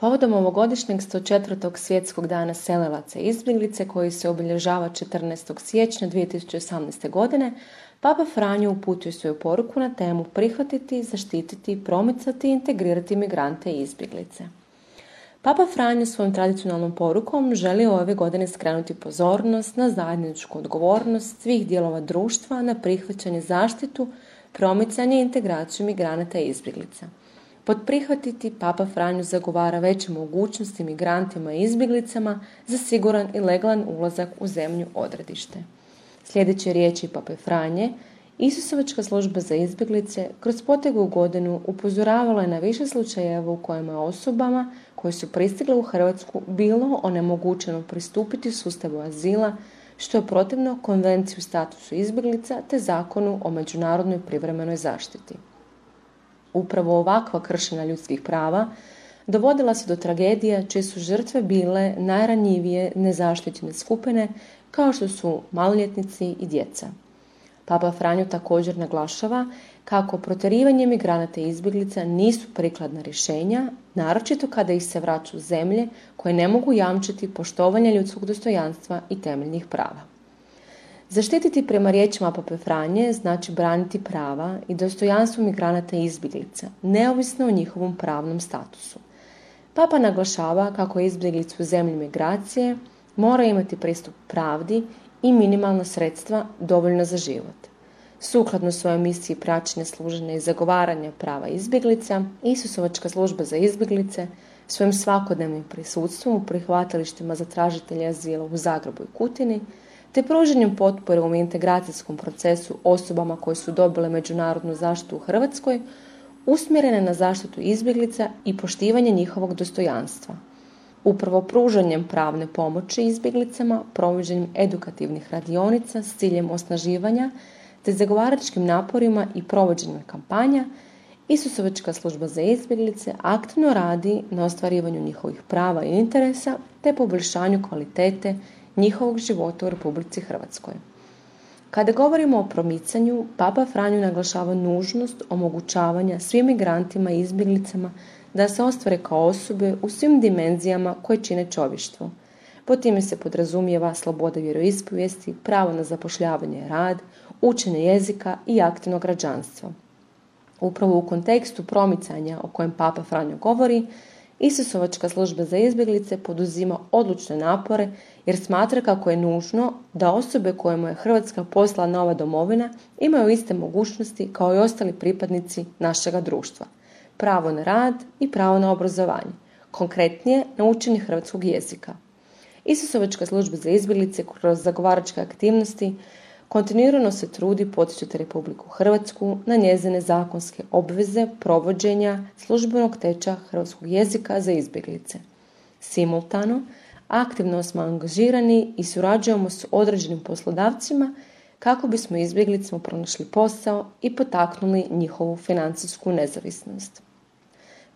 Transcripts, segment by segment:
Povodom ovogodišnjeg 104. svjetskog dana selilaca i izbjeglice koji se obilježava 14. siječnja 2018. godine, Papa Franjo uputio svoju poruku na temu prihvatiti, zaštititi, promicati i integrirati migrante i izbjeglice. Papa Franjo svojom tradicionalnom porukom želi ove godine skrenuti pozornost na zajedničku odgovornost svih dijelova društva na prihvaćanje, zaštitu, promicanje i integraciju migranata i izbjeglica. Pod prihvatiti Papa Franjo zagovara veće mogućnosti migrantima i izbjeglicama za siguran i legalan ulazak u zemlju odredište. Sljedeće riječi Pape Franje, Isusovačka služba za izbjeglice kroz proteklu godinu upozoravala je na više slučajeva u kojima osobama koje su pristigle u Hrvatsku bilo onemogućeno pristupiti sustavu azila, što je protivno Konvenciji o statusu izbjeglica te Zakonu o međunarodnoj privremenoj zaštiti. Upravo ovakva kršenja ljudskih prava dovodila se do tragedija čije su žrtve bile najranjivije nezaštićene skupine kao što su maloljetnici i djeca. Papa Franjo također naglašava kako protjerivanje migranata i izbjeglica nisu prikladna rješenja, naročito kada ih se vraća u zemlje koje ne mogu jamčiti poštovanje ljudskog dostojanstva i temeljnih prava. Zaštititi prema riječima Pape Franje znači braniti prava i dostojanstvo migranata i izbjeglica, neovisno o njihovom pravnom statusu. Papa naglašava kako izbjeglice u zemlji migracije mora imati pristup pravdi i minimalna sredstva dovoljna za život. Sukladno svojoj misiji praćenja, služenja i zagovaranja prava izbjeglica, Isusovačka služba za izbjeglice svojim svakodnevnim prisustvom u prihvatilištima za tražitelje azila u Zagrebu i Kutini te pružanjem potpore u integracijskom procesu osobama koje su dobile međunarodnu zaštitu u Hrvatskoj, usmjerene na zaštitu izbjeglica i poštivanje njihovog dostojanstva. Upravo pružanjem pravne pomoći izbjeglicama, provođenjem edukativnih radionica s ciljem osnaživanja te zagovaračkim naporima i provođenjem kampanja, Isusovačka služba za izbjeglice aktivno radi na ostvarivanju njihovih prava i interesa te poboljšanju kvalitete njihovog života u Republici Hrvatskoj. Kada govorimo o promicanju, Papa Franjo naglašava nužnost omogućavanja svim migrantima i izbjeglicama da se ostvare kao osobe u svim dimenzijama koje čine čovještvo. Pod time se podrazumijeva sloboda vjeroispovijesti, pravo na zapošljavanje i rad, učenje jezika i aktivno građanstvo. Upravo u kontekstu promicanja o kojem Papa Franjo govori, Isusovačka služba za izbjeglice poduzima odlučne napore jer smatra kako je nužno da osobe kojima je Hrvatska poslala nova domovina imaju iste mogućnosti kao i ostali pripadnici našega društva. Pravo na rad i pravo na obrazovanje, konkretnije na učenje hrvatskog jezika. Isusovačka služba za izbjeglice kroz zagovaračke aktivnosti kontinuirano se trudi poticati Republiku Hrvatsku na njezine zakonske obveze provođenja službenog tečaja hrvatskog jezika za izbjeglice. Simultano, aktivno smo angažirani i surađujemo s određenim poslodavcima kako bismo izbjeglicama pronašli posao i potaknuli njihovu financijsku nezavisnost.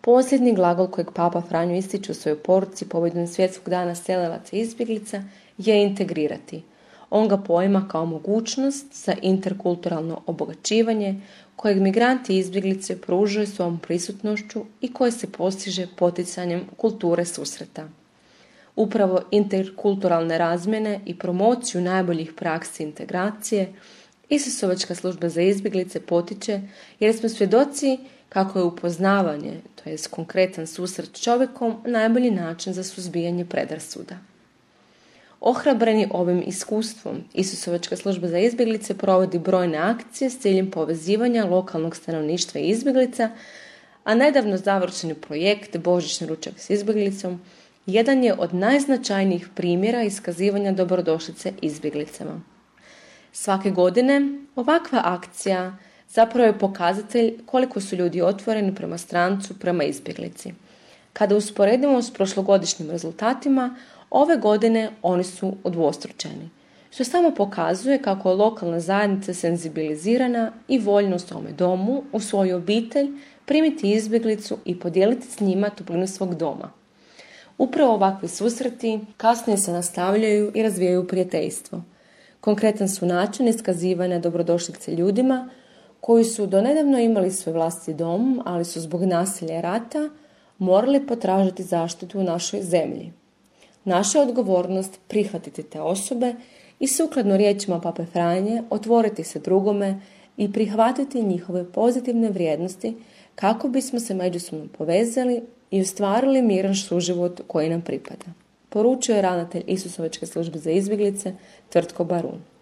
Posljednji glagol kojeg Papa Franjo ističe u svojoj poruci povodom Svjetskog dana selilaca i izbjeglica je integrirati. On ga poima kao mogućnost za interkulturalno obogaćivanje kojeg migranti i izbjeglice pružaju svojom prisutnošću i koje se postiže poticanjem kulture susreta. Upravo interkulturalne razmjene i promociju najboljih praksi integracije Isusovačka služba za izbjeglice potiče jer smo svjedoci kako je upoznavanje, to jest konkretan susret s čovjekom, najbolji način za suzbijanje predrasuda. Ohrabreni ovim iskustvom, Isusovačka služba za izbjeglice provodi brojne akcije s ciljem povezivanja lokalnog stanovništva i izbjeglica, a nedavno završeni projekt Božićni ručak s izbjeglicom jedan je od najznačajnijih primjera iskazivanja dobrodošlice izbjeglicama. Svake godine ovakva akcija zapravo je pokazatelj koliko su ljudi otvoreni prema strancu, prema izbjeglici. Kada usporedimo s prošlogodišnjim rezultatima, ove godine oni su udvostručeni, što samo pokazuje kako je lokalna zajednica senzibilizirana i voljna u svome domu, u svoju obitelj, primiti izbjeglicu i podijeliti s njima toplinu svog doma. Upravo ovakvi susreti kasnije se nastavljaju i razvijaju prijateljstvo. Konkretan su način iskazivanja dobrodošlice ljudima koji su donedavno imali svoj vlastiti dom, ali su zbog nasilja i rata morali potražiti zaštitu u našoj zemlji. Naša je odgovornost prihvatiti te osobe i sukladno riječima Pape Franje otvoriti se drugome i prihvatiti njihove pozitivne vrijednosti kako bismo se međusobno povezali i ostvarili miran suživot koji nam pripada. Poručio je ravnatelj Isusovačke službe za izbjeglice Tvrtko Barun.